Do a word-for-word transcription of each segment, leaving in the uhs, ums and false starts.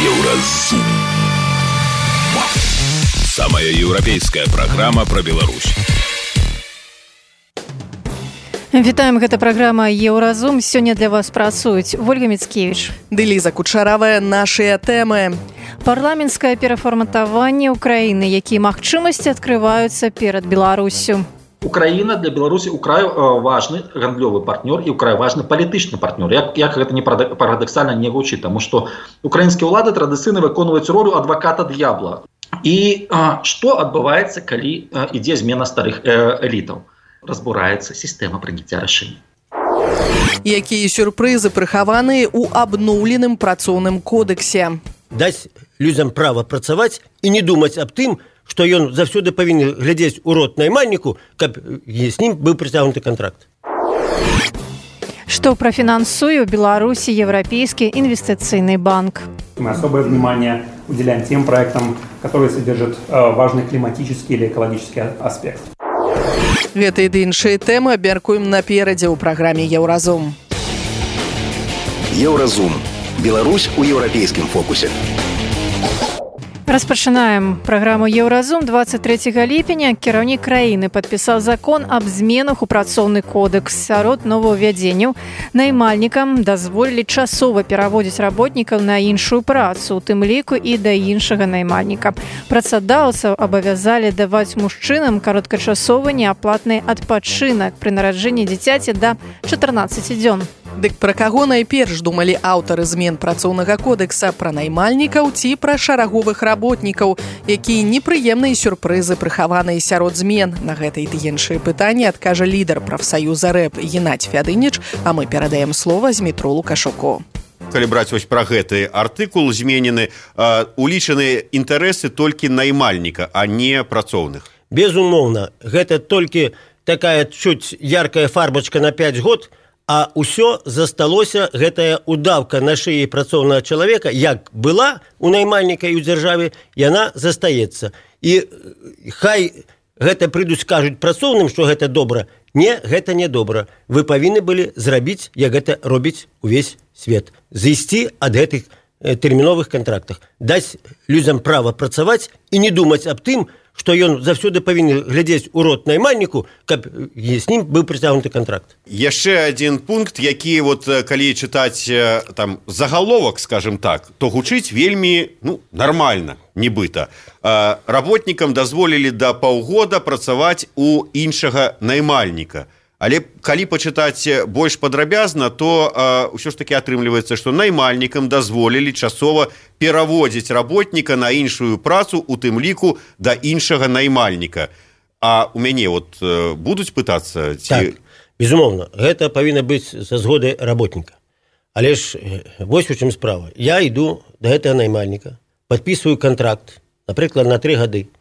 Еўразум. Самая еўрапейская праграма пра Беларусь. Вітаем, гэта праграма Еўразум. Сёння для вас працуюць Ольга Мицкевич ды Ліза Кучаравая. Нашыя тэмы: парламенцкае перафарматаванне Украіны, якія магчымасці адкрываюцца перад Беларуссю. Украина для Беларуси украй важный гандлёвый партнер и украй важный политичный партнер. Як, як гэта не парадоксально не гучит, потому что украинские улады традыцыйна выконваюць роль адвоката д'ябла. И а, что адбываецца, калі а, ідзе змена старых э, элітаў? Разбураецца сістэма прыняцця рашэнняў. Якія сюрпрызы прыхаваныя ў абноўленым працоўным кодексе? Даць людзям права працаваць і не думаць аб тым, што ён заўсёды павінен глядзець у рот наймальніку, каб з ім быў прыцягнуты кантракт. Што профинансуе в Беларуси Европейский инвестиционный банк? Мы особое внимание уделяем тем проектам, которые содержат э, важный климатический или экологический аспект. Гэта і іншыя тэмы абмяркуем наперадзе ў праграме Еўразум. Еўразум. Беларусь у еўрапейскім фокусе. Распачынаем праграму Еўразум. двадцать третьего ліпеня кіраўнік краіны падпісаў закон аб зменах у працоўны кодекс. Сярод новаўвядзенняў наймальнікам дазволілі часова пераводзіць работнікаў на іншую працу, у тым ліку і да іншага наймальніка. Працадаўцаў абавязалі даваць мужчынам кароткачасовы неаплатны адпачынак пры нараджэнні дзіцяці да чатырнаццаці дзён. Дык пра каго найперш думалі аўтары змен працоўнага кодекса? Пра наймальнікаў ці пра шараговых работнікаў? Якія непрыемныя сюрпрызы прыхаваныя сярод змен? На гэта і іншыя пытанні адкажа лідар прафсаюза рэп Геннадзь Фядынич, а мы перадаем слова Змітру Лукашуку. Калі браць вось пра гэты артыкул зменены, э, улічаны інтарэсы толькі наймальніка, а не працоўных. Безумоўна, гэта толькі такая чуць яркая фарбачка на пяць год, а ўсё засталося, гэтая удавка на шыі працоўнага чалавека, як была у наймальніка і ў дзяржаве, яна застаецца. І хай гэта прыйдуць, кажуць працоўным, што гэта добра. Не, гэта не добра. Вы павінны былі зрабіць, як гэта робіць увесь свет. Зайсці ад гэтых тэрміновых кантрактах. Даць людзям права працаваць і не думаць аб тым, што ён заўсёды павінен глядзець у рот наймальніку, каб з ім быў прыцягнуты кантракт. Яшчэ адзін пункт, які вот калі чытаць там загаловак, скажем так, то гучыць вельмі ну, нармальна, нібыта. Работнікам дазволілі да паўгода працаваць у іншага наймальніка. Але калі пачытаць больш падрабязна, то ўсё ж такі атрымліваецца, што наймальнікам дазволілі часова пераводзіць работніка на іншую працу, у тым ліку да іншага наймальніка. А у мяне вот будуць пытацца? Ці... Так, безумоўна, гэта павінна быць са згоды работніка. Але ж вось у чым справа. Я іду да гэтага наймальніка, падпісваю кантракт, напрыклад, на тры гады.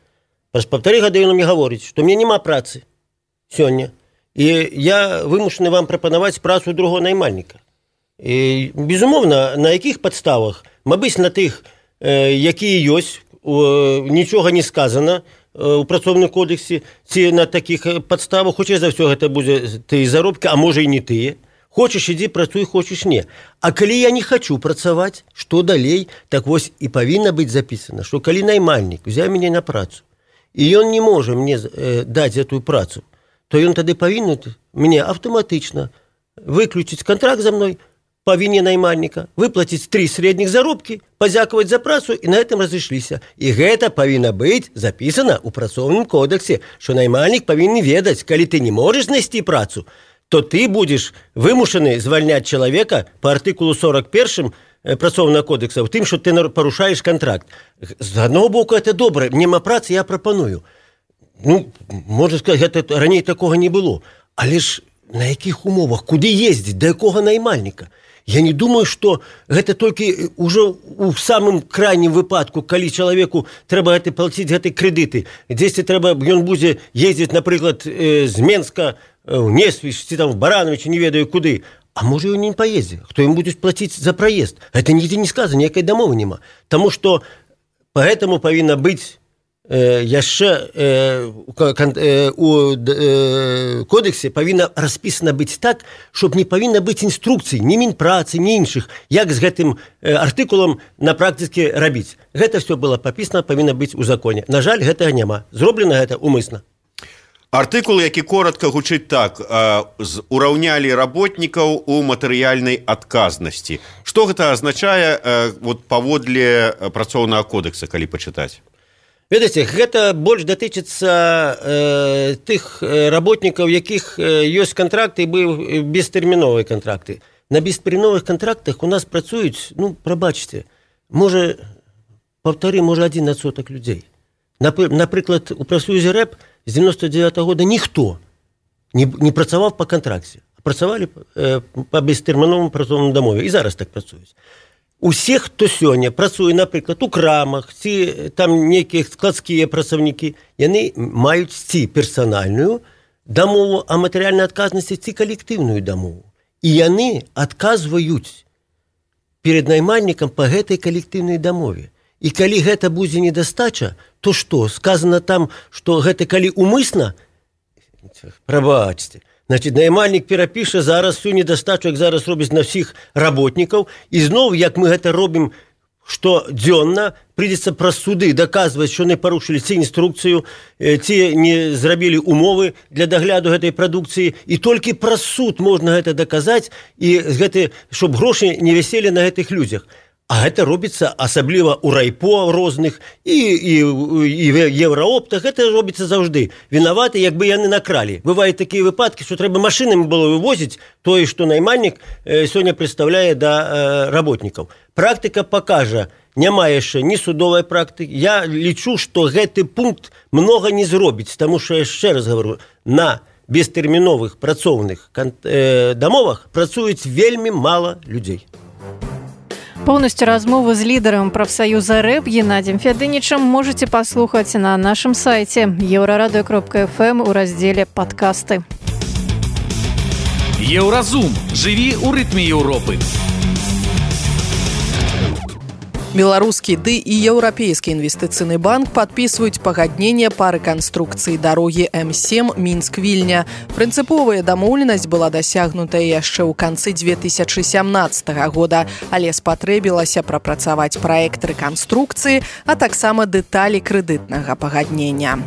Праз паўтары гады ён мне гаворыць, што мне няма працы сёння. І я вымушаны вам прапанаваць працу другого наймальніка. І, безумоўна, на якіх падставах? Мабыць, на тых, э, якія ёсць, э, нічога не сказана э, у працоўным кодексе, ці на такіх падставах, хутчэй за ўсё гэта будзе тыя заробкі, а можа і не тыя. Хочаш ідзі, працуй, хочаш не. А калі я не хачу працаваць, што далей? Так вось і павінна быць запісана, што калі наймальнік узяў мяне на працу, і ён не можа мне э, даць гэтую працу, то ён тады павінен мне аўтаматычна выключыць кантракт за мной, павінне наймальніка, выплаціць тры сярэдніх заробкі, падзякаваць за працу і на гэтым разышліся. І гэта павінна быць запісана ў працоўным кодексе, што наймальнік павінен ведаць, калі ты не можаш знайсці працу, то ты будзеш вымушаны звальняць чалавека па артыкулу сорок першым працоўнага кодекса, у тым, што ты парушаеш кантракт. З аднаго боку, гэта добра, нема працы, я прапаную. Ну, можна сказаць, гэта раней такога не было. Але ж на якіх умовах, куды ездзіць, да якога наймальніка? Я не думаю, што гэта толькі ўжо ў самым крайнім выпадку, калі чалавеку трэба гэты плаціць гэты крэдыты. Дзесьці трэба, ён будзе ездзіць, напрыклад, з Менска ў Несвіж, ці там в Барановичі, не ведаю куды. А можа, ён не паездзе. Хто ім будзе плаціць за праезд? Гэта нідзе не сказана, ніякай дамовы няма. Таму што поэтому павінна быць яшчэ у кодексе павінна распісана быць так, щоб не павінна быць інструкцый ні Мінпрацы, ні іншых, як з гэтым артыкулам на практыцы рабіць. Гэта все было папісана, павінна быць у законе. На жаль, гэтага няма. Зроблена гэта умысна. Артыкул, які коротка гучыць так: ураўнялі работнікаў у матэрыяльнай адказнасці. Што гэта азначае вот, паводле працоўнага кодекса, калі пачытаць? Ведаеце, гэта больш датычыцца э, тых работнікаў, якіх ёсць кантракты і быў бестэрміновыя кантракты. На бестэрміновых кантрактах у нас працуюць, ну, прабачце, можа, паўтары, можа, адзін адсотак людзей. Напрыклад, у прафсоюзе рэп з дзевяносто девятого года ніхто не, не працаваў па кантракце. Працавалі э, па бестэрміновым працоўным дамове. І зараз так працуюць. Усе, хто сёння працуе, напрыклад, у крамах, ці там нейкія складскія працаўнікі, яны маюць ці персанальную дамову о матэрыяльнай адказнасці, ці калектыўную дамову. І яны адказваюць перед наймальнікам па гэтай калектыўнай дамове. І калі гэта будзе недастача, то што? Сказано там, што гэта калі умысна? Прабачце. Значит, наймальнік перапіша зараз всю недастачу, як зараз робіць на ўсіх работнікаў, і зноў, як мы гэта робім штодзённа, прыйдзецца праз суды даказваць, што не парушылі ці інструкцыю, ці не зрабілі умовы для дагляду гэтай прадукцыі, і толькі праз суд можна гэта даказаць, і гэты, щоб грошы не віселі на гэтых людзях. А гэта робіцца асабліва ў райпо розных і, і, і еўраоптах. Гэта робіцца заўжды. Вінаваты, як бы яны накралі. Бываюць такія выпадкі, што трэба машынамі было вывозіць тое, што наймальнік э, сёння прадстаўляе да э, работнікаў. Практыка пакажа, няма яшчэ ні судовай практыкі. Я лічу, што гэты пункт многа не зробіць, таму што, яшчэ раз гавару, на бестэрміновых працоўных э, дамовах працуюць вельмі мала людзей. Полностью размову з лідарам прафсаюза рэп Геннадием Фядынічам можете паслухаць на нашым сайце еўрарадыё кропка эф эм у раздзеле «Падкасты». Еўразум. Жыві ў рытме Еўропы. Беларускі ды і еўрапейскі інвестыцыйны банк падпісваюць пагадненне па рэканструкцыі дарогі эм сем Мінск-Вільня. Прынцыповая дамоўленасць была дасягнутая яшчэ ў канцы две тысячы сямнаццатага года, але спатрэбілася прапрацаваць праект рэканструкцыі, а таксама дэталі крэдытнага пагаднення.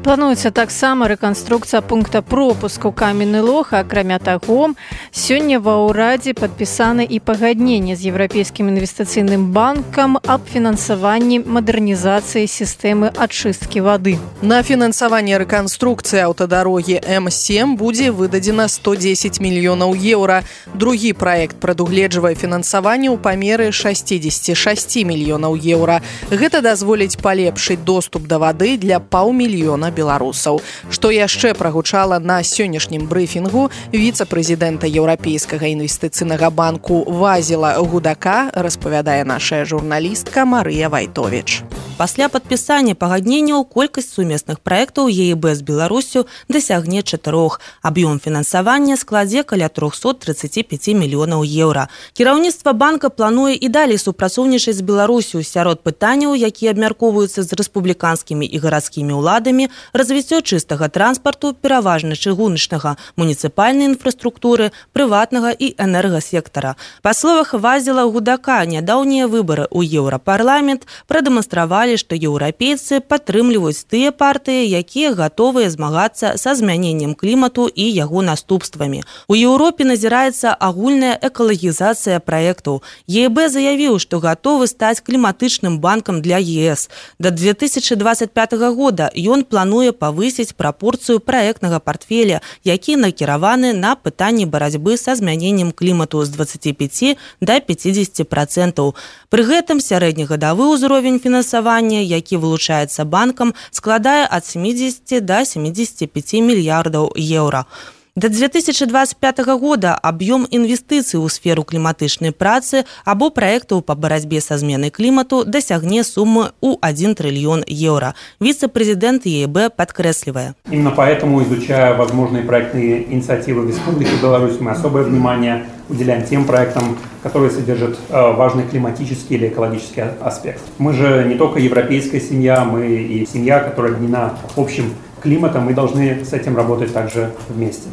Плануецца таксама рэканструкцыя пункта пропуску Каменны Лог. Акрамя таго, сёння ва ўрадзе падпісаны і пагадненне з еўрапейскім інвестыцыйным банкам аб фінансаванні мадэрнізацыі сістэмы ачысткі вады. На фінансаванне рэканструкцыі аўтадарогі эм сем будзе выдадзена сто дзесяць мільёнаў еўра. Другі праект прадугледжвае фінансаванне ў памеры шэсцьдзесят шэсць мільёнаў еўра. Гэта дазволіць палепшыць доступ да вады для паўмільёна беларусаў. Што яшчэ прагучала на сённяшнім брыфінгу віцэ-прэзідэнта еўрапейскага інвестыцыйнага банку Вазіла Гудака, распавядае наша журналістка Марыя Вайтовіч. Пасля падпісання пагадненняў колькасць сумесных праектаў е і бэ з Беларусю дасягне чатырох. Аб'ём фінансавання складзе каля триста тридцать пять мільёнаў еўра. Кіраўніцтва банка плануе і далей супрацоўнічаць з Беларусю. Сярод пытанняў, якія абмяркоўваюцца з рэспубліканскімі і гарадскімі ўладамі, развіццё чыстага транспарту, пераважна чыгуначнага, муніцыпальнай інфраструктуры, прыватнага і энергасектара. Па словах Вазіла Гудака, нядаўнія выбары ў Еўрапарламент прадэманстравалі, што еўрапейцы падтрымліваюць тыя партыі, якія гатовыя змагацца са змяненнем клімату і яго наступствамі. У Еўропе назіраецца агульная экалагізацыя праектаў. е і бэ заявіў, што гатовы стаць кліматычным банкам для е эс. Да две тысячы двадцать пятого года ён плануе павысіць прапорцыю праектнага партфеля, які накіраваны на пытанні барацьбы са змяненнем клімату з двадцати пяти да пятидесяти процентаў. Пры гэтым сярэднегадавы ўзровень фінансавання, які вылучаецца банкам, складае ад семидесяти до семидесяти пяти мільярдаў еўра. До две тысячи двадцать пятого года объем инвестиций ў сферу кліматычнай працы або проектаў по барацьбе со зменай клімату дасягне суммы ў один триллион евро. Вице-президент Е И Б подкресливая. Именно поэтому, изучая возможные проектные инициативы в Республике Беларусь, мы особое внимание уделяем тем проектам, которые содержат э, важный климатический или экологический аспект. Мы же не только европейская семья, мы и семья, которая объединена общим климатом, мы должны с этим работать также вместе.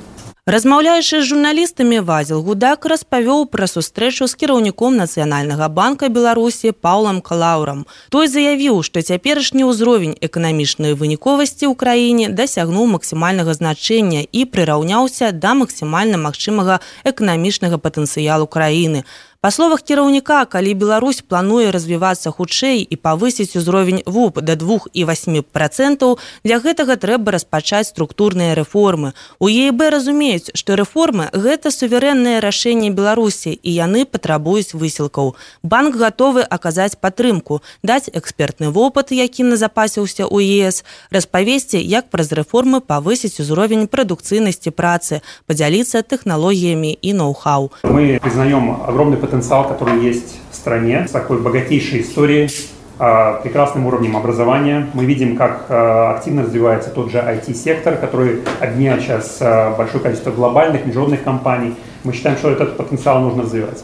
Размаўляючы з журналістамі, Вазіл Гудак распавёў пра сустрэчу з кіраўніком Нацыянальнага банка Беларусі Паўлам Калаўрам. Той заявіў, што цяперашні ўзровень эканамічнай выніковасці ў краіне дасягнуў максімальнага значэння і прыраўняўся да максімальна магчымага эканамічнага патэнцыялу краіны. Па словах кіраўніка, калі Беларусь плануе развівацца хутчэй і павысіць узровень В У П да двух і васьмі працэнтаў, для гэтага трэба распачаць структурныя рэформы. У Е И Б разумеюць, што рэформы – гэта суверэннае рашэнне Беларусі, і яны патрабуюць высілкаў. Банк гатовы аказаць падтрымку, даць экспертны вопыт, які назапасіўся ў Е С, распавесці, як праз рэформы павысіць узровень прадукцыйнасці працы, падзяліцца тэхналогіямі і ноу-хау. Мы признаем огромный потенциал, который есть в стране, с такой богатейшей историей, прекрасным уровнем образования. Мы видим, как активно развивается тот же ай ти-сектор, который объединяет сейчас большое количество глобальных, международных компаний. Мы считаем, что этот потенциал нужно развивать.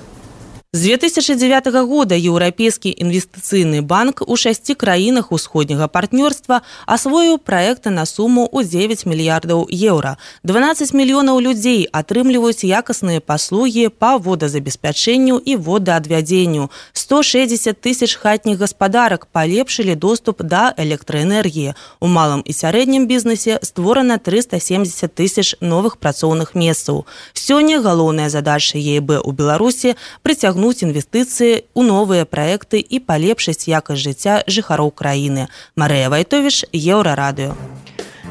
З две тысячи девятого года Еўрапейскі інвестыцыйны банк у шасці краінах усходняга партнёрства асвоіў праекты на суму ў дзевяць мільярдаў еўра. дванаццаць мільёнаў людзей атрымліваюць якасныя паслугі па водазабеспячэнню і водаадвядзенню. сто шэсцьдзесят тысяч хатніх гаспадарак палепшылі доступ да электраэнергіі. У малым і сярэднім бізнесе створана трыста семьдесят тысяч новых працоўных месцаў. Сёння галоўная задача Е И Б у Беларусі прыцягнуць інвестыцыі ў новыя праекты і палепшыць якасць жыцця жыхароў краіны. Марыя Вайтовіч, Еўрарадыё.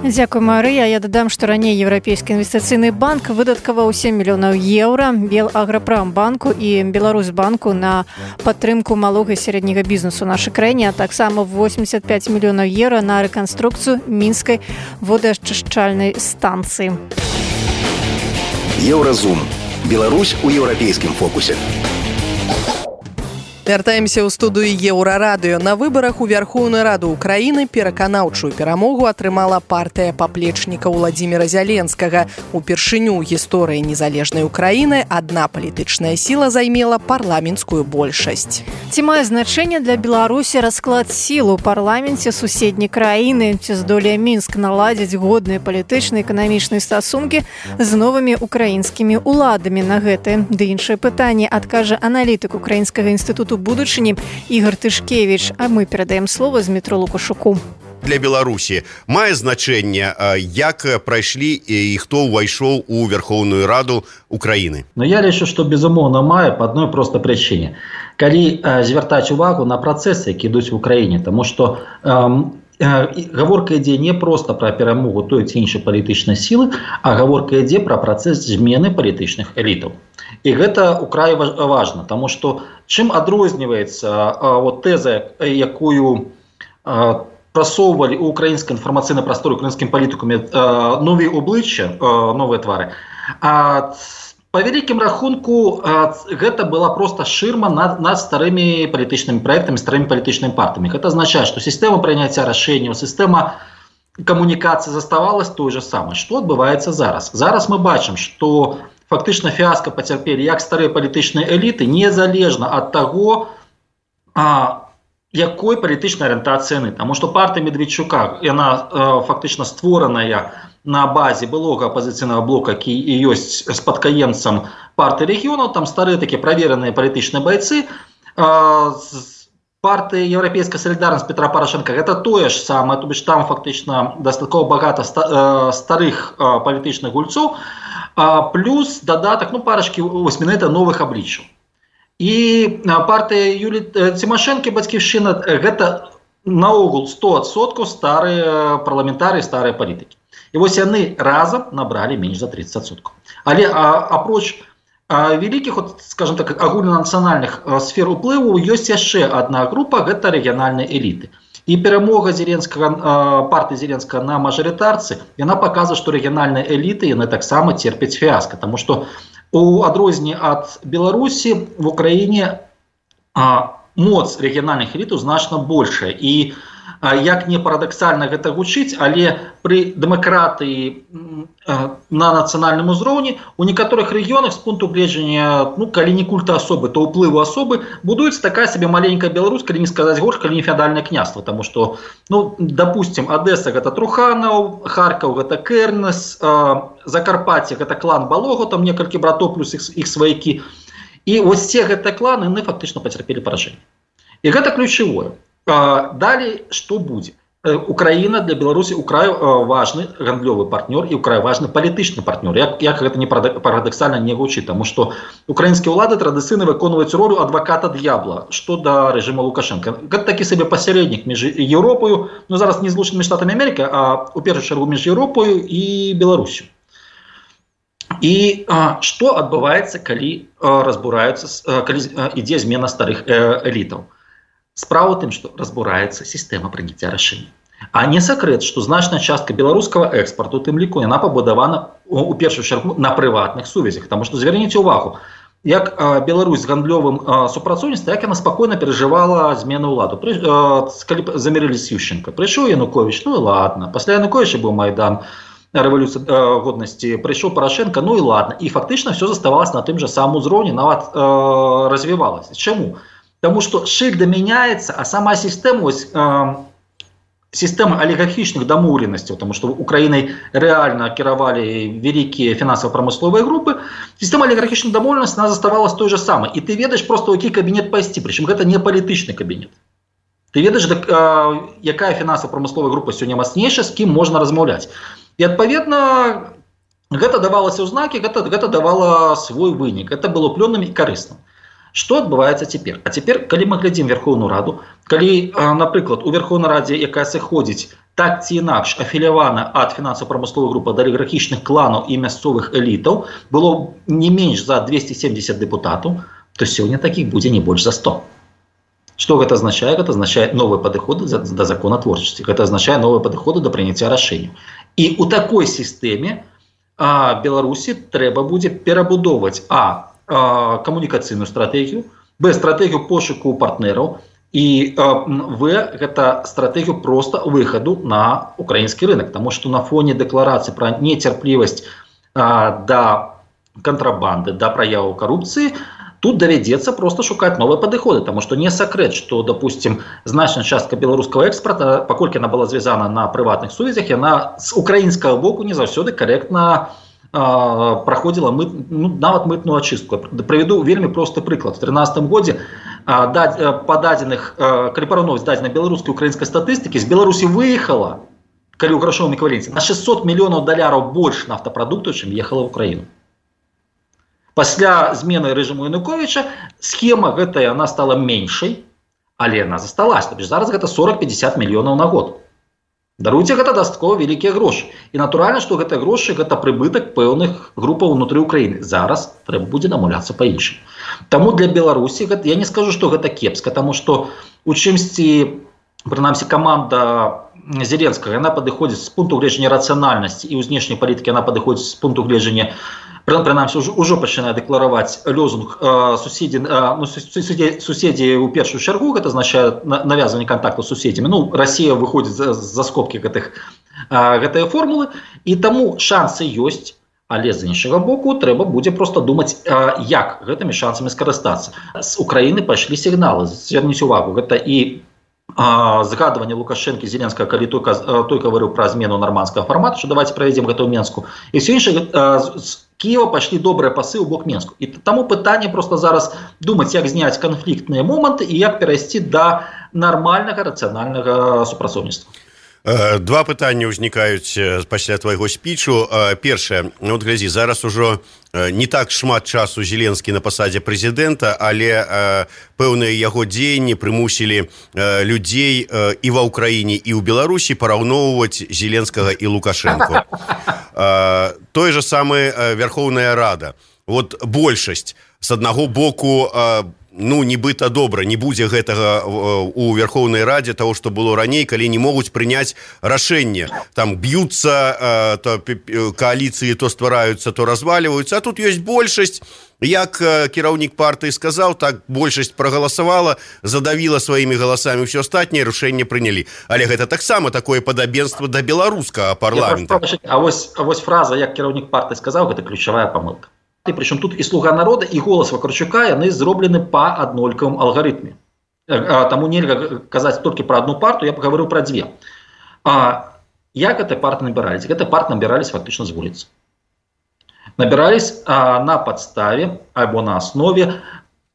Дзякуй, Марыя. Я дадам, што раней Еўрапейскі інвестыцыйны банк выдаткаваў сем мільёнаў еўра Белаграпрамбанку і Беларусьбанку на падтрымку малога і сярэдняга бізнесу ў нашай краіне, а таксама восемьдесят пять мільёнаў еўра на рэканструкцыю мінскай водаачышчальнай станцыі. Еўразум. Беларусь у еўрапейскім фокусе. Вяртаемся ў студыю Еўрарадыё. На выбарах у Верхоўную Раду Украіны пераканаўчую перамогу атрымала партыя паплечніка Владзіміра Зяленскага. Упершыню ў гісторыі незалежнай Украіны адна палітычная сіла займела парламенцкую большасць. Ці мае значэнне для Беларусі расклад сіл у парламенце суседняй краіны? Ці здолее Мінск наладзіць годныя палітычныя і эканамічныя стасункі з новымі украінскімі ўладамі? На гэтае ды іншае пытанне адкажа аналітык Украінскага інстытуту будучыні Ігор Тышкевіч, а мы перадаем слово Змітру Лукашуку. Для Беларусі мае значэнне, як прайшлі і хто ўвайшоў у Верхоўную Раду Украіны? Но я лічу, што безумоўна мае па адной простай прычыне. Калі э, звяртаць увагу на працэсы, які ідуць в Украіне, таму што э, э, гаворка ідзе не проста пра перамогу той ці іншай палітычнай сілы, а гаворка ідзе пра працэс змены палітычных элітаў. І гэта ўкрай важна, таму што чым адрозніваецца э, вот, тэза, якую э, прасоўвалі ў украінскай інфармацыйнай прасторы украінскім палітыкамі э, новыя обличчя, э, новыя твары. А па вялікім рахунку э, гэта была проста шырма над, над старымі палітычнымі праектамі, старымі палітычнымі партамі. Гэта азначае, што сістэма прыняцця рашэнняў, сістэма камунікацыі заставалась той же самай. Што адбываецца зараз? Зараз мы бачым, што фактычна фіаска пацярпелі як старыя палітычныя эліты, незалежна ад таго, а, якой палітычнай арыентацыі яны. Таму што партыя Медведчука, яна э, фактычна створаная на базе былога апазіцыйнага блока, які і ёсць спадкаемцам партыі рэгіёнаў, там старыя такія правераныя палітычныя байцы. Э, партыя Еўрапейская салідарнасць Петра Парашенка гэта тое ж самае, то бишь там фактычна дастаткова багата ста, э, старых э, палітычных гульцоў, э, плюс дадатак, ну, парачкі восьмінэта новых абліччаў. І партыя Юліі Цімашэнкі, Бацькіўшчына, гэта наогул сто адсоткаў старыя парламентарыі, старыя палітыкі. І вось яны разам набралі менш за тридцать адсоткаў. Але а, апроч а, вялікіх, от, скажем так, агульнанацыянальных сфер уплыву, ёсць яшчэ адна група, гэта рэгіянальныя эліты. І перамога Зеленскага, партыі Зеленскага на мажарытарцы, яна паказвае, што рэгіянальныя эліты яны таксама церпяць фіаска, таму што у адрозненні ад Беларусі в Украіне а, моц рэгіянальных элітаў значна большая. І а, як не парадаксальна гэта гучыць, але пры дэмакратыі а, на нацыянальным узроўні у некаторых рэгіёнах з пункту гледжання, ну, калі не культа асобы, то ўплыву асобы, будуецца такая сабе маленькая Беларусь, калі не сказаць горш, калі не феадальнае княства, таму што, ну, допустим, Адэса гэта Труханаў, Харкаў гэта Кэрнес, а, Закарпатце гэта клан Балого, там некалькі братоў плюс іх, іх сваякі. І вось все гэтыя кланы, яны фактычна пацярпелі паражэнне. І гэта ключавое. Далей, што будзе? Украіна для Беларусі украй важны гандлёвы партнёр і украй важны палітычны партнёр. Як, як гэта не парадаксальна не гучыць, таму што украінскія ўлады традыцыйна выконваюць ролю адваката д'ябла, што да рэжыма Лукашенка. Гэта такі сабе пасярэднік між Еўропаю, ну зараз не Злучанымі Штатамі Амерыкі, а у першую чаргу між Еўропаю і Беларусю. І а, што адбываецца, калі а, разбураюцца, а, калі а, ідзе змена старых э, элітаў? Справа ў тым, што разбураецца сістэма прыняцця рашэння. А не сакрэт, што значная частка беларускага экспарту, у тым ліку, яна пабудавана у першую чаргу на прыватных сувязях. Таму што зверніце ўвагу, як а, Беларусь з гандлёвым а, супрацоўніцтвам, як яна спакойна перажывала змену ўладу. Пры, а, калі замірылі з Ющенка. Прыйшоў Януковіч, ну і ладно. Пасля Януковіча быў Майдан, рэвалюцыя а, годнасці, прыйшоў Парашенка, ну і ладно. І фактычна ўсё заставалася на тым жа самым узроўні, нават а, развівалася. Чаму? Таму што шыльда мяняецца, а сама сістэма, ось, э, сістэма алігархічных дамоўленасцяў, таму што Украінай рэальна кіравалі вялікія фінансава-прамысловыя групы, сістэма алігархічных дамоўленасцей, она заставалась той же самой. І ты ведаеш проста, у які кабінет пайсці, прычым гэта не палітычны кабінет. Ты ведаеш, э, якая фінансава-прамысловая група сёння мацнейшая, з кім можна размаўляць. І адпаведна, гэта давалася ў знакі, гэта, гэта давала свой вынік, гэта было плённым і карысным. Што адбываецца цяпер? А цяпер, калі мы глядзім Верхоўную Раду, калі, напрыклад, у Верхоўнай Радзе, якая сыходзіць так ці інакш афілявана ад фінансава-прамысловых груп, ад алігархічных кланаў і мясцовых элітаў, было не менш за двесце семдзесят дэпутатаў, то сёння такіх будзе не больш за сто. Што гэта азначае? Гэта азначае новыя падыходы да законатворчасці, гэта азначае новыя падыходы да прыняцця рашэнняў. І ў такой сістэме а, Беларусі трэба будзе перабудоўваць а камунікацыйную стратэгію, б, стратэгію пошуку партнераў і в, гэта стратэгію проста выхаду на украінскі рынок, таму што на фоне дэкларацыі пра нецярплівасць а, да кантрабанды, да праяваў карупцыі, тут давядзецца проста шукаць новыя падыходы, таму што не сакрэт, што, допустим, значная частка беларускага экспарта, паколькі яна была звязана на прыватных сувязях, яна з украінскага боку не заўсёды карэктна праходзіла мыт, ну, нават мытную ачыстку. Правяду вельмі просты прыклад. В трынаццатым годзе па дадзеных, калі параўноўваць дадзеныя беларускай і украінскай статыстыкі, з Беларусі выехала, калі ў грашовым эквіваленце, на шэсцьсот мільёнаў даляраў больш нафтапрадуктаў, чым ехала ў Украіну. Пасля змены рэжыму Януковіча схема гэтая, она стала меншай, але яна засталася. Зараз гэта сорок-пятьдесят мільёнаў на год. Даруйце, гэта дастаткова вялікія грошы. І натуральна, што гэтыя грошы гэта прыбытак пэўных групаў унутры Украіны. Зараз трэба будзе намуляцца па-іншаму. Таму для Беларусі гэта, я не скажу, што гэта кепска, таму што у чымсьці, прынамсі, каманда Зеленскага, яна падыходзіць з пункту гледжання рацыянальнасці і ў знешняй палітыкі яна падыходзіць з пункту гледжання, прынамсі, ўжо, ўжо пачынае дэклараваць лёзунг э, суседзі, э, ну, суседзі, суседзі ў першую чаргу, гэта азначае навязванне кантакту з суседзямі. Ну, Расія выходзіць за, за скобкі гэтых, э, гэтыя формулы, і таму шансы ёсць, але з іншага боку трэба будзе проста думаць, э, як гэтымі шансамі скарыстацца. З Украіны пайшлі сігналы, зверніце увагу, гэта і згадыванне Лукашэнкі, Зеленскага, калі той, той гаварыў пра змену нармандскага фармату, што давайте правядзем гэта ў Менску. І ўсё іншае, з Кіева пайшлі добрыя пасы ў бок Менску. І таму пытанне проста зараз думаць, як зняць канфліктныя моманты і як перайсці да нармальнага рацыянальнага супрацоўніцтва. Два пытання ўзнікаюць пасля твайго спічу. Першае, ну, от глядзі, зараз ужо не так шмат часу Зеленскі на пасадзе прэзідэнта, але пэўныя яго дзеянні прымусілі людзей і ва ўкраіне, і ў Беларусі параўноўваць Зеленскага і Лукашэнку. Тое же самае Верхоўная Рада. Вот большасць с аднаго боку ну нібыта добра, не будзе гэтага у Верховнай Радзе того, што было раней, калі не могуць прыняць рашэнне, там б'юцца то кааліцыі, то ствараюцца, то разваливаюцца, а тут ёсць большасць. Як кіраўнік партыі сказаў, так большасць прагаласавала, задавіла сваімі галасамі ўсё астатняе, рашэнне прынялі. Але гэта таксама такое падабенства да беларускага парламента. А вось, а вось фраза, як кіраўнік партыі сказаў, гэта ключавая памылка. І причем тут і «Слуга народа», і «Голос Вакарчука» яны зроблены па аднолькавым алгарытме. Таму нельга казаць толькі пра одну партию, я б гаварыў пра дзве. А як гэтай партыі набірались? Гэтай партыі набірались фактычна з вуліцы. Набірались а, на падставе альбо на аснове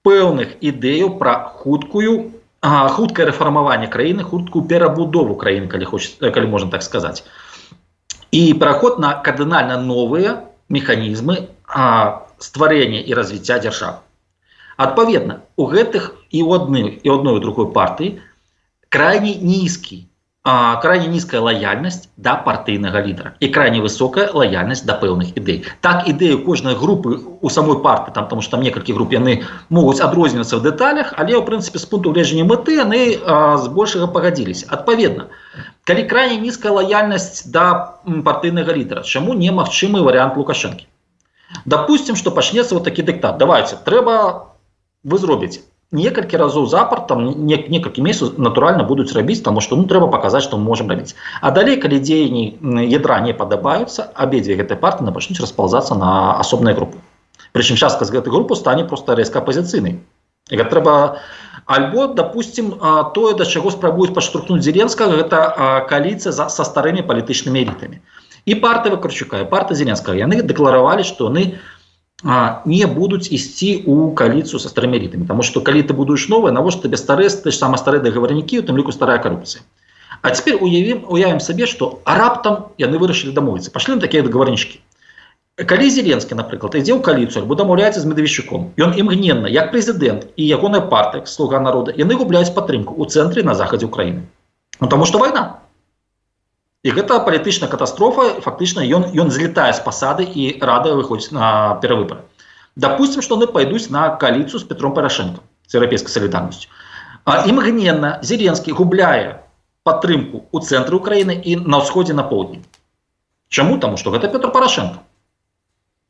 пэўных ідэяў пра хуткую, а, хуткае рэфармаванне краіны, хуткую перабудову краіны, калі, хоч, калі можна так сказаць. І пераход на кардынальна новыя механізмы а, стварэння і развіцця дзяржавы. Адпаведна, у гэтых і ў адной і одной і другой партыі крайне нізкі, а, крайне нізкая лаяльнасць да партыйнага лідара і крайне высокая лаяльнасць да пэўных ідэй. Так ідэі кожнай групы у самой партыі, там, тому што там некалькі груп яны могуць адрознівацца ў дэталях, але ў прынцыпе з пункту гледжання мэты яны а, збольшага пагадзіліся. Адпаведна, калі крайне нізкая лаяльнасць да партыйнага лідара, чаму немагчымы варыянт Лукашэнкі? Допустим, что пачнецца вот такі дыктат. Давайте, трэба, вы зробіце. Некалькі разоў запар, там не, некалькі месяцаў натуральна будуць рабіць, таму што ну, трэба паказаць, што мы можам рабіць. А далей, калі дзеянні ядра не падабаюцца, абедзве гэтай партыі пачнуць распаўзацца на асобныя групы. Прычым частка з гэтай групы стане проста рэзка апазіцыйнай. І гэта трэба альбо, допустим, тое, да чаго спрабуюць падштурхнуць Зеленскага, гэта коаліцыя са старымі палітычнымі элітамі. І партыя Вакарчука, і партыя Зеленскага, яны дэкларавалі, што яны а, не будуць ісці ў коаліцыю са старымі элітамі. Таму што калі ты будуеш новае, навошта табе старыя, ты ж сама старыя дагаварнікі, у тым ліку старая карупцыя. А цяпер уявім, уявім сабе, што раптам яны вырашылі дамовіцца. Пашлі на такія дагаварнічкі. Калі Зеленскі, напрыклад, ідзе ў коаліцыю альбо дамаўляецца з Медведчуком, ён імгненна, як прэзідэнт і ягоная партыя, «Слуга народа», яны губляюць падтрымку ў цэнтры на захадзе ўкраіны. Ну, таму што вайна. І гэта палітычная катастрофа, фактычна ён, ён злетае з пасады і рада выходзіць на перавыбары. Допустим, што яны пайдуць на коаліцыю з Петром Парашенко, з еўрапейскай салідарнасцю. Імгненна Зеленскі губляе падтрымку ў цэнтры ўкраіны і на ўсходзе, на поўдні. Чаму? Таму што гэта Петр Парашенко.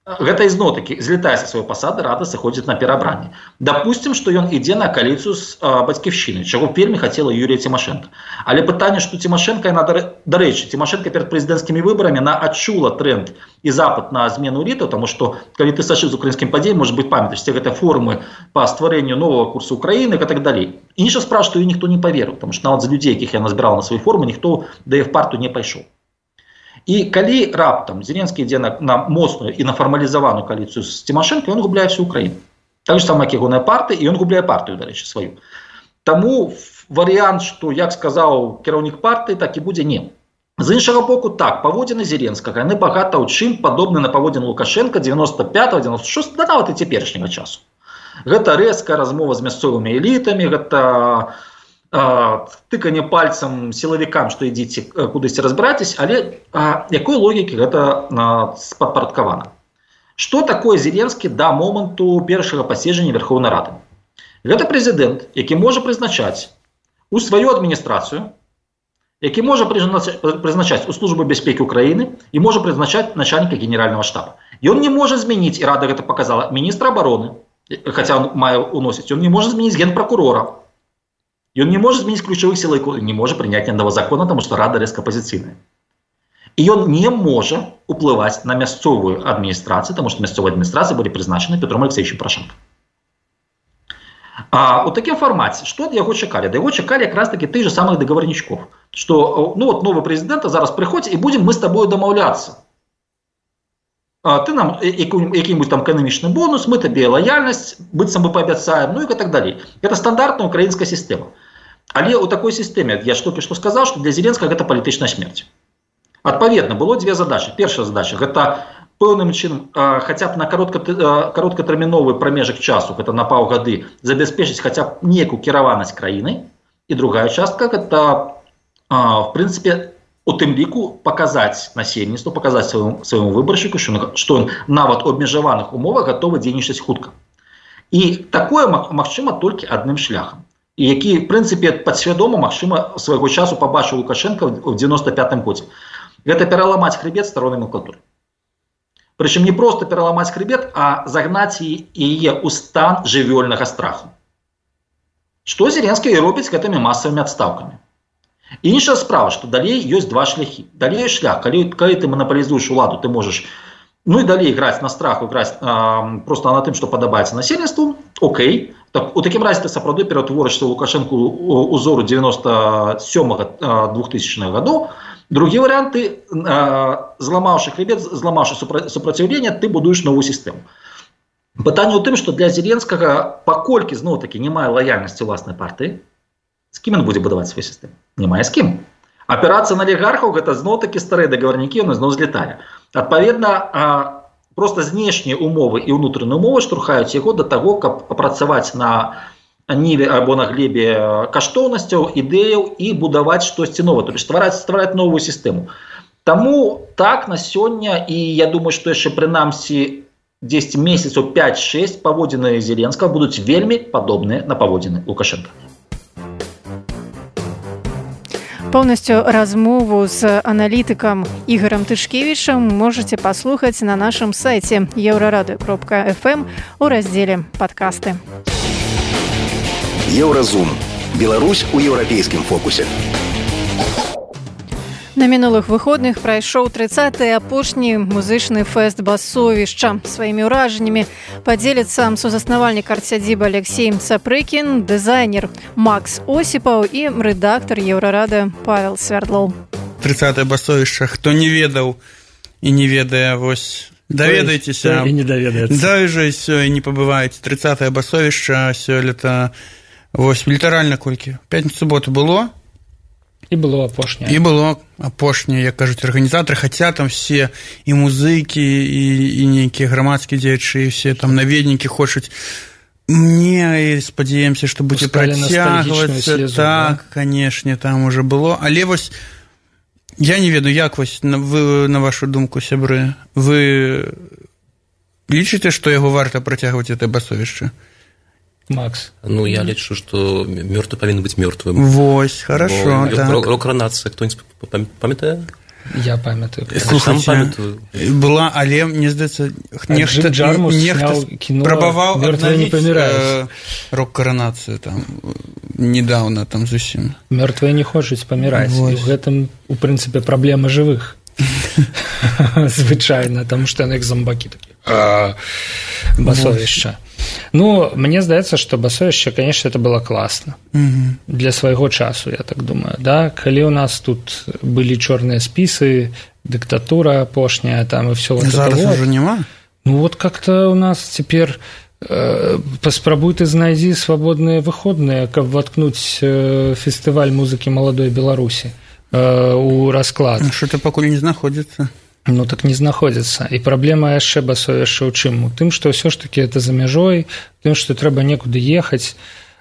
Гэта ізноў-такі злетае са сваёй пасады, рада сыходзіць на перабранне. Допустим, што ён ідзе на коаліцыю з а, бацькаўшчынай, чаго вельмі хацела Юлія Цімашэнка. Але пытанне, што Цімашэнка, яна, дарэчы, Цімашэнка перад прэзідэнцкімі выбарамі, яна адчула тренд і запад на змену элітаў, таму што, калі ты сачыў з украінскім падзеям, можа быць, памятаеш, гэтыя формы па стварэнню новага курсу Украіны і так далей. Інша справа, што ёй ніхто не паверыў, таму што нават з людзей, якіх яна збірала на свае формы, ніхто да іх партыю не пайшоў. І калі раптам Зеленскі ідзе на, на моцную і на фармалізаваную коаліцыю з Цімашэнка, ён губляе всю Украіну. Так же сама, як ягоная партыя, і ён губляе партыю, дарэчы, сваю. Таму варыянт, што, як сказаў кіраўнік партыі, так і будзе не. З іншага боку, так, паводзіны Зеленскага, яны багата ў чым падобны на паводзіны Лукашэнка дзевяноста пятага дзевяноста шостага, да нават і цяперашняга часу. Гэта рэзкая размова з мясцовымі элітамі, гэта тыканне пальцам сілавікам, што ідзіце кудысьці разбірайцеся, але а, якой логікі гэта падпарадкавана? Што такое Зеленскі да моманту першага паседжання Верховнай Рады? Гэта прэзідэнт, які можа прызначаць у сваю адміністрацыю, які можа прызначаць у службу бяспекі Украіны і можа прызначаць начальніка генеральнага штаба. Ён не можа змяніць, і рада гэта показала, міністра абароны, хаця он мае уносіць, ён не можа змяніць генпракурора. Ён не можа змяніць ключавых сілавікоў, не можа прыняць ні аднаго закона, таму што рада рэзка апазіцыйная. І ён не можа уплываць на мясцовую адміністрацыю, таму што мясцовая адміністрацыя былі прызначаны Петром Алексеевичем Парашенко. А у такім фармаце, што ад яго чакалі? Да яго чакалі якраз такі тых же самых дагаварнічкоў, што ну, вот, новы прэзідэнт зараз прыходзь і будзем мы з табою дамаўляцца. А, ты нам які-нибудь там эканамічны бонус, мы табе лаяльнасць, быццам бы паабяцаем, ну і так далей. Гэта стандартная украінская сістэма. Але ў такой сістэме, я ж толькі што сказаў, што для Зеленскага гэта палітычная смерць. Адпаведна, было дзве задачы. Першая задача – гэта пэўным чынам, хаця б на кароткатэрміновы прамежак часу, гэта на паўгады, забяспечыць хаця б некую кіраванасць краінай. І другая частка – гэта, в прынцыпе, у тым ліку паказаць насельніцтву, паказаць свайму выбаршчыку, што ён нават у абмежаваных умовах гатовы дзейнічаць хутка. І такое магчыма толькі адным шляхам. І які, в прынцыпе, падсвядома, магчыма, свайго часу пабачыў Лукашенко ў девяносто пятым годзе. Гэта пераламаць хребет старой номенклатуры. Прычым не проста пераламаць хребет, а загнаць яе ў стан жывёльнага страху. Што Зеленскі і робіць гэтымі масавымі адстаўкамі. Іншая справа, што далей ёсць два шляхі. Далей шлях, калі, калі ты манапалізуеш уладу, ты можаш ну і далей граць на страху, граць а, просто на тым, што падабаецца насельніцтву, окей. Так, у такім разе ты сапраўды ператворышся Лукашенку узору девяносто сёмага двухтысячнага гадоў. Другі варыянт, ты, зламаўшы хребет, зламаўшы супраціўленне, ты будуеш новую сістэму. Пытанне ў тым, што для Зеленскага, паколькі, зноў-такі, не мае лаяльнасці ўласнай партыі, з кім ён будзе будаваць сваю сістэму? Не мае з кім. Апірацца на алігархаў, гэта зноў-такі старыя дагаварнікі, яны зноў злеталі. Адпаведна, проста знешнія умовы і ўнутраныя умовы штурхаюць яго да таго, каб працаваць на ніве або на глебе каштоўнасцяў, ідэяў і будаваць штосьці новае, то есть ствараць, ствараць новую сістэму. Таму так на сёння, і я думаю, што яшчэ прынамсі дзесяць месяцаў пять-шесть паводзіны Зеленскага будуць вельмі падобныя на паводзіны Лукашенка. Полностью размову с аналитиком Игорем Тышкевичем можете послушать на нашем сайте еврорадио точка эф эм у разделе «Подкасты». Еўразум. Беларусь у еўрапейскім фокусе. На мінулых выходных прайшоў трыццаты апошні музычны фэст «Басовішча». Сваімі ўражаннямі падзеліцца сузаснавальнік арт-сядзібы Алексей Цапрыкін, дызайнер Макс Осіпаў і рэдактар Еўрарадыё Павел Свярдлоў. трыццатае «Басовішча». Хто не ведаў і не ведае, вось даведайцеся. І не даведаецца. Даже сёння не пабываеце. трыццатае «Басовішча» сёлета, вось літаральна колькі? Пятніцу-суботу было? І было апошняе. І было апошняе, як кажуць арганізатары, хаця там все і музыкі, і, і нейкія грамадскія дзеячы, і все там наведнікі хочуць. Мне спадзяемся, што будзе працягвацца. Так, канешне, там уже было. Але вось я не ведаю, як вось вы, на вашу думку, сябры, вы лічыце, што яго варта працягваць гэта басовішча? Макс. Ну, я лечу, что мертвый повинен быть мертвым. Вось, хорошо, Бо, так. Рок-ранация, кто-нибудь памятает? Я памятаю. Слушайте, была, але, мне здаецца, нехта, нехта прабаваў аднавіць э, рок-каранацыю там недавно там зусім. Мертвые не хочуць паміраць. І ў гэтым, у прынцыпе, праблема жывых. Звычайна, таму што яны як зомбакі такі. Басовішча. Ну, мне здаецца, што басовішча, конечно, это было класна. Угу. Для свайго часу, я так думаю. Да? Калі у нас тут былі чорныя спісы, дыктатура апошняя, там, і все вот зараз это вот. Уже нема? Ну, вот как-то у нас цяпер э, паспрабуй ты знайдзі свабодныя выходныя, каб воткнуць э, фестываль музыкі маладой Беларусі э, у расклад. Што-то пакуль не знаходзіцца. Ну, так не знаходзіцца. І праблема яшчэ басовішча ў чым? У тым, што ўсё ж такі это за мяжой, тым, што трэба некуды ехаць.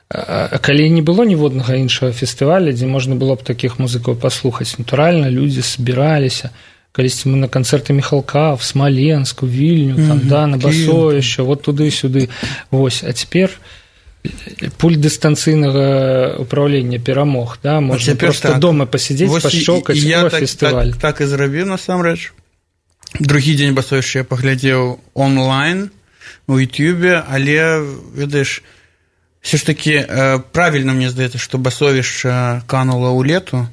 А калі не было ніводнага іншага фестываля, дзе можна было б такіх музыкаў паслухаць, натуральна, людзі збіраліся. Калісьці мы на канцэрты Міхалка, в Смаленск, у Вільню, там, mm-hmm. да, на басовішча, вот туды-сюды. Вось. А цяпер пульт дыстанцыйнага управлення перамог, да, можна проста так. Дома пасядзець, пашчокаць, о, так, фестываль. Так, так і зрабіў, насамрэч. Другі дзень басовішча я паглядзеў онлайн у Ютубе, але, ведаеш, все ж таки э, правільна мне здаецца, што басовішча канула ў лету,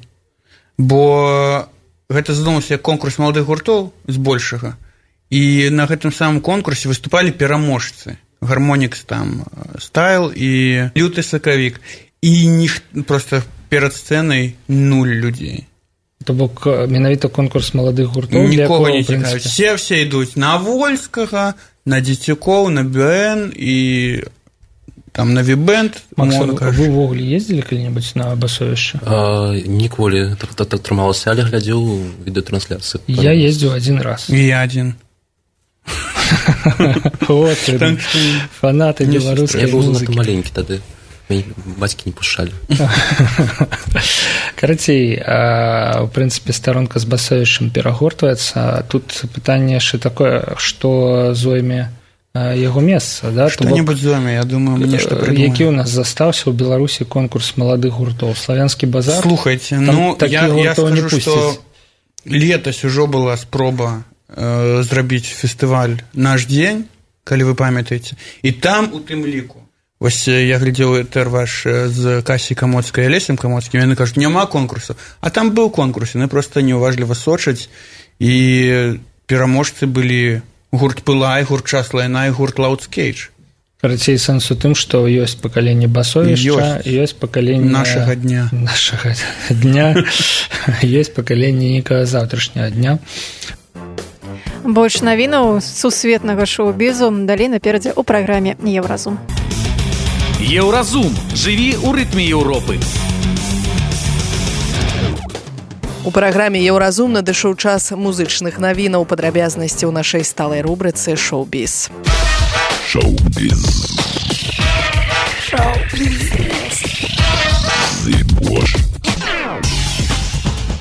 бо гэта задумаўся як конкурс маладых гуртоў збольшага, і на гэтым самым конкурсе выступалі пераможцы. Гармонікс там стайл і люты сакавік. І ніх, просто перад сцэнай нуль людзей. То бок менавіта конкурс маладых гуртоў, нікога не цікавіць. Все все ідуць на Вольскага, на Дзецюкоў, на Бюэн і там на Вібэнд. Макс, вы ўвогуле ездзілі калі-небудзь на басовішча? Ніколі. Атрымалася, але глядзеў відэатрансляцыю. Я ездзіў адзін раз. І я адзін. Вот, фанаты беларускай музыкі. Я быў занадта маленькі тады. Бацькі не пушчалі. Карацей, у прынцыпе, старонка з басовішчам перагортваецца. Тут пытанне яшчэ такое, што зойме яго месца, да? Что-нибудь зоме, я думаю, мне что придумаем. Які у нас застаўся ў Беларусі конкурс маладых гуртоў? Славянскі базар? Слухайте, ну, я, я скажу, что летась ужо была спроба э, зрабіць фестываль «Наш дзень», калі вы памятаеце, і там у тым ліку. Вось я глядзеў этэр ваш з Касей Камоцкай і Алесем Камоцкім, яны кажуць, няма конкурсу. А там быў конкурс, яны проста неуважліва сочаць, і пераможцы былі гурт «Пылай», гурт «Час лайна» і гурт «Лаудскейдж». Карацей, сэнс у тым, што ёсць пакаленне басовішча, ёсць, ёсць пакаленне нашага дня. Нашага дня. Ёсць пакаленне некага заўтрашняга дня. Больш навінаў сусветнага шоу-бізу далей наперадзе ў праграме «Еўразум». Еўразум. Жыві ў рытме Еўропы. У праграме «Еўразум» надышоў час музычных навінаў, падрабязнасці ў нашай сталай рубрыцы «Шоу-біз». Шоу-біз.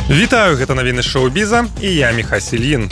Вітаю, гэта навіны шоу-біза і я Міха Сільін.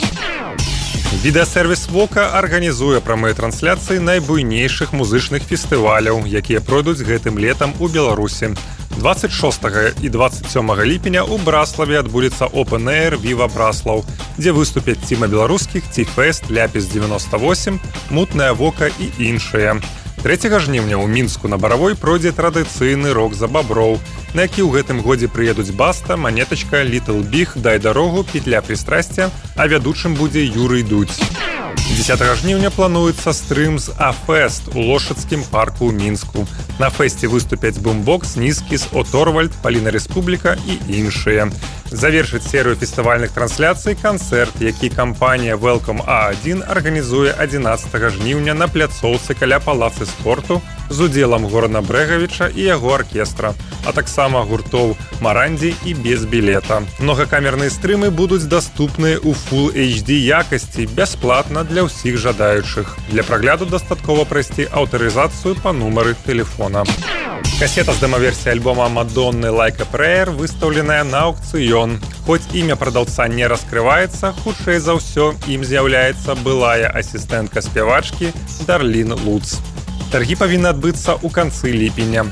Відэасервіс «Вока» арганізуе прамыя трансляцыі найбуйнейшых музычных фестываляў, якія пройдуць гэтым летам у Беларусі. дваццаць шостага і дваццаць сёмага ліпеня ў Браславе адбудзецца Open Air Viva Браслаў, дзе выступяць ціма беларускіх, Ці-фест, Ляпіс девяносто восемь, Мутная Вока і іншыя. трэцяга жніўня ў Мінску на Баравой пройдзе традыцыйны рок за баброў, на які ў гэтым годзе прыедуць Баста, Манетачка, Літл Біг, Дай дарогу, Петля прыстрасця, а вядучым будзе Юрый Дудь. дзесятага жніўня плануецца стрым з А-фест у Лошадскім парку ў Мінску. На фэсце выступяць Бумбокс, Нізкіс, Оторвальд, Паліна Рэспубліка і іншыя. Завершыць серыю фестывальных трансляцый канцэрт, які кампанія Welcome А адзін арганізуе адзінаццатага жніўня на пляцоўцы каля палацы спорту з удзелам Горана Брэгавіча і яго аркестра, а таксама гуртоў Марандзі і без білета. Многакамерныя стрымы будуць даступныя ў Full эйч ді якасці бясплатна для ўсіх жадаючых. Для прагляду дастаткова прайсці аўтарызацыю па нумары тэлефона. Касета з дэмаверсіяй альбома Мадонны «Like a Prayer» выстаўленая на аукцыён. Хоць імя прадаўца не раскрываецца, хутчэй за ўсё ім з'яўляецца былая асістэнтка спявачкі Дарлін Луц. Таргі павінны адбыцца ў канцы ліпеня.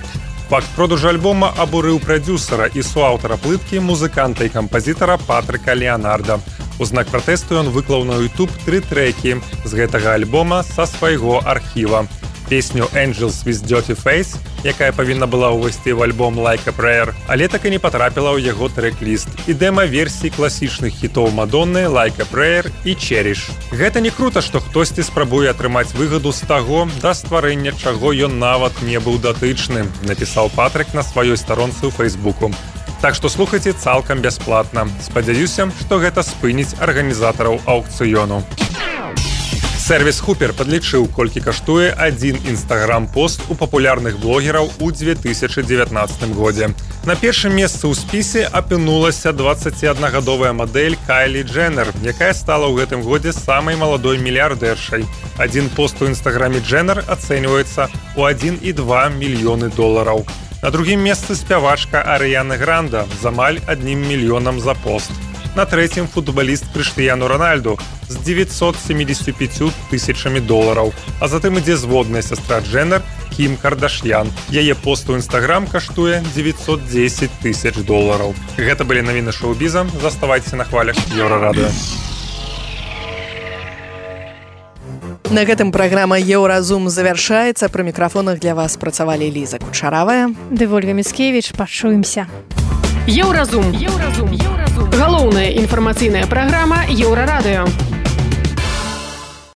Факт продажу альбома абурыў прадзюсара і суаўтара плыткі, музыканта і кампазітара Патрыка Леанарда. У знак пратэсту ён выклаў на YouTube тры трэкі з гэтага альбома са свайго архіва. Песню «Angels with Dirty Face», якая павінна была ўвайсці ў альбом «Like a Prayer», але так і не патрапіла ў яго трэк-ліст. І дэма-версій класічных хітоў Мадонны «Like a Prayer» і «Cherish». Гэта не крута, што хтосьці спрабуе атрымаць выгаду з таго, да стварэння чаго ён нават не быў датычны, напісаў Патрык на сваёй старонцы ў Фейсбуку. Так што слухайце цалкам бясплатна. Спадзяюся, што гэта спыніць арганізатараў аўкцыёну. Сервіс Хупер падлічыў, колькі каштуе адзін інстаграм-пост у папулярных блогераў у две тысячы дзевятнаццатым годзе. На першым месцы ў спісе апынулася дваццаціаднагадовая мадэль Кайлі Дженнер, якая стала ў гэтым годзе самай маладой мільярдэршай. Адзін пост у інстаграме Дженнер ацэньваецца ў адзін і два мільёны долараў. На другім месцы спявачка Арыяна Гранда з амаль адным мільёнам за пост. На трэцім футбаліст Крыштыяну Рональду з девятьсот семьдесят пять тысячамі долараў. А затым ідзе зводная сястра Дженнер Кім Кардашьян. Яе пост у Інстаграм каштуе девятьсот десять тысяч долараў. Гэта былі навіны шоу-біза. Заставайцеся на хвалях Еўрарадыё. На гэтым праграма «Еўразум» завяршаецца. Пры мікрафонах для вас працавалі Ліза Кучаравая ды Вольга Міцкевіч. Пачуемся. Еўразум. Еўразум. Еўразум. Галоўная інфармацыйная праграма Еўрарадыё.